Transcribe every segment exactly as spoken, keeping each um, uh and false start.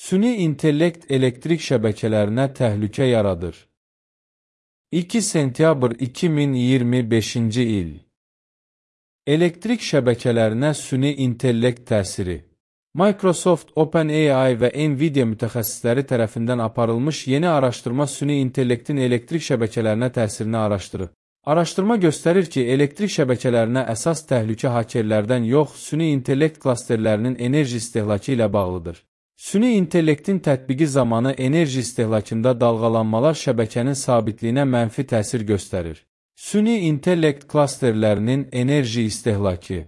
Süni intellekt elektrik şəbəkələrinə təhlükə yaradır. iki sentyabr iki min iyirmi beşinci il. Elektrik şəbəkələrinə süni intellekt təsiri. Microsoft, OpenAI və Nvidia mütəxəssisləri tərəfindən aparılmış yeni araşdırma süni intellektin elektrik şəbəkələrinə təsirini araşdırır. Araşdırma göstərir ki, elektrik şəbəkələrinə əsas təhlükə hakerlərdən yox, süni intellekt klasterlərinin enerji istehlakı ilə bağlıdır. Süni intellektin tətbiqi zamanı enerji istehlakında dalğalanmalar şəbəkənin sabitliyinə mənfi təsir göstərir. Süni intellekt klasterlərinin enerji istehlakı.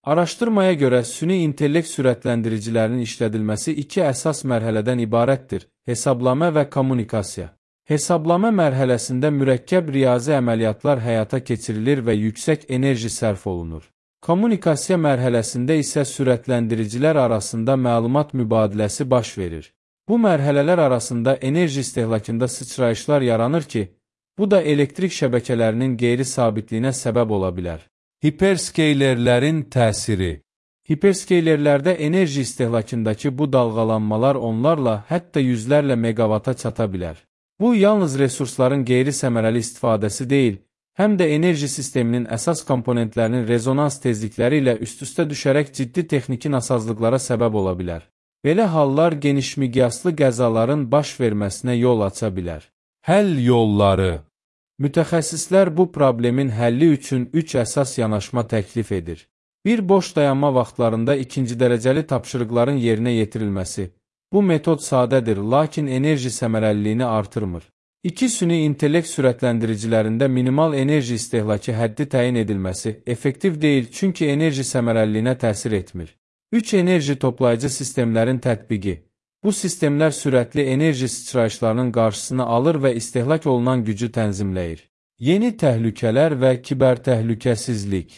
Araşdırmaya görə süni intellekt sürətləndiricilərinin işlədilməsi iki əsas mərhələdən ibarətdir: hesablama və kommunikasiya. Hesablama mərhələsində mürəkkəb riyazi əməliyyatlar həyata keçirilir və yüksək enerji sərf olunur. Kommunikasiya mərhələsində isə sürətləndiricilər arasında məlumat mübadiləsi baş verir. Bu mərhələlər arasında enerji istehlakında sıçrayışlar yaranır ki, bu da elektrik şəbəkələrinin qeyri-sabitliyinə səbəb ola bilər. Hiperskeylerlərin təsiri. Hiperskeylerlərdə enerji istehlakındakı bu dalğalanmalar onlarla, hətta yüzlərlə megavata çata bilər. Bu, yalnız resursların qeyri-səmərəli istifadəsi deyil, həm də enerji sisteminin əsas komponentlərinin rezonans tezlikləri ilə üst-üstə düşərək ciddi texniki nasazlıqlara səbəb ola bilər. Belə hallar genişmiqyaslı qəzaların baş verməsinə yol aça bilər. Həll yolları. Mütəxəssislər bu problemin həlli üçün üç əsas yanaşma təklif edir. Bir, boş dayanma vaxtlarında ikinci dərəcəli tapşırıqların yerinə yetirilməsi. Bu metod sadədir, lakin enerji səmərəliliyini artırmır. İki, süni intellekt sürətləndiricilərində minimal enerji istehlakı həddi təyin edilməsi effektiv deyil, çünki enerji səmərəliliyinə təsir etmir. Üç, enerji toplayıcı sistemlərin tətbiqi. Bu sistemlər sürətli enerji sıçrayışlarının qarşısını alır və istehlak olunan gücü tənzimləyir. Yeni təhlükələr və kibertəhlükəsizlik.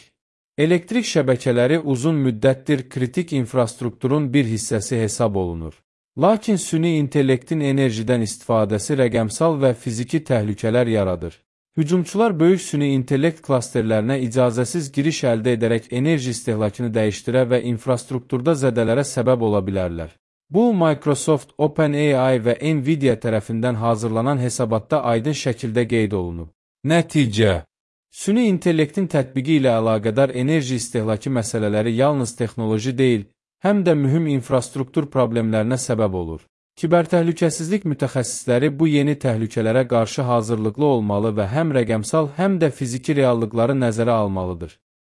Elektrik şəbəkələri uzun müddətdir kritik infrastrukturun bir hissəsi hesab olunur. Lakin süni intellektin enerjidən istifadəsi rəqəmsal və fiziki təhlükələr yaradır. Hücumçular böyük süni intellekt klasterlərinə icazəsiz giriş əldə edərək enerji istehlakını dəyişdirə və infrastrukturda zədələrə səbəb ola bilərlər. Bu, Microsoft, OpenAI və Nvidia tərəfindən hazırlanan hesabatda aydın şəkildə qeyd olunub. Nəticə. Süni intellektin tətbiqi ilə əlaqədar enerji istehlakı məsələləri yalnız texnoloji deyil, həm də mühüm infrastruktur problemlərinə səbəb olur. Kibertəhlükəsizlik mütəxəssisləri bu yeni təhlükələrə qarşı hazırlıqlı olmalı və həm rəqəmsal, həm də fiziki reallıqları nəzərə almalıdır.